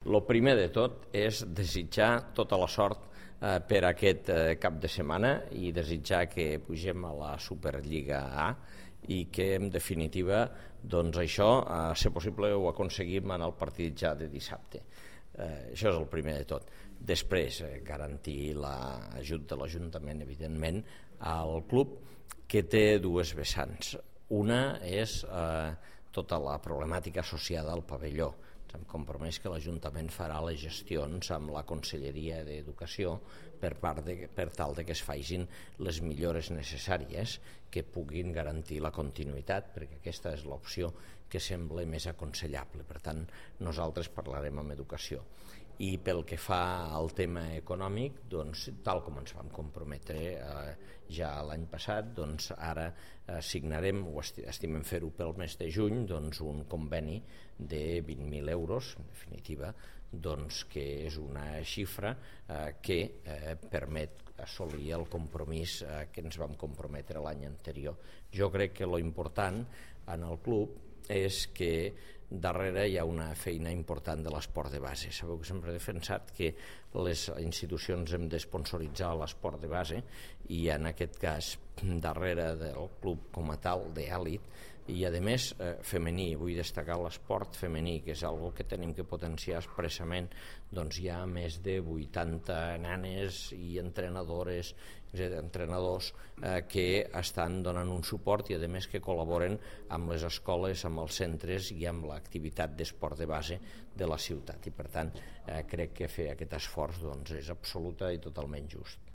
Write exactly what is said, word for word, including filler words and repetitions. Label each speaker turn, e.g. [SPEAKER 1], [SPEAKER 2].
[SPEAKER 1] El primer de tot és desitjar tota la sort eh, per aquest eh, cap de setmana i desitjar que pugem a la Superliga A i que, en definitiva, doncs això, a ser possible, ho aconseguim en el partit ja de dissabte. Eh, això és el primer de tot. Després, eh, garantir l'ajut de l'Ajuntament, evidentment, al club, que té dues vessants. Una és eh, tota la problemàtica associada al pavelló. Ens hem compromès que l'Ajuntament farà les gestions amb la Conselleria d'Educació per, part de, per tal de que es facin les millores necessàries que puguin garantir la continuïtat, perquè aquesta és l'opció que sembla més aconsellable. Per tant, nosaltres parlarem amb Educació. I pel que fa al tema econòmic, doncs, tal com ens vam comprometre eh, ja l'any passat, doncs ara eh, signarem, o estimem fer-ho pel mes de juny, doncs, un conveni de vint mil euros, en definitiva, doncs, que és una xifra eh, que eh, permet assolir el compromís eh, que ens vam comprometre l'any anterior. Jo crec que lo important en el club és que darrere hi ha una feina important de l'esport de base. Sabeu que sempre he defensat que les institucions hem d'esponsoritzar l'esport de base i en aquest cas darrere del club com a tal d'èlit i a més eh, femení. Vull destacar l'esport femení, que és algo que tenim que potenciar expressament. Doncs hi ha més de vuitanta nanes i entrenadores, entrenadors eh, que estan donant un suport i a més que col·laboren amb les escoles, amb els centres i amb l'activitat d'esport de base de la ciutat. I per tant eh, crec que fer aquest esforç doncs, és absoluta i totalment just.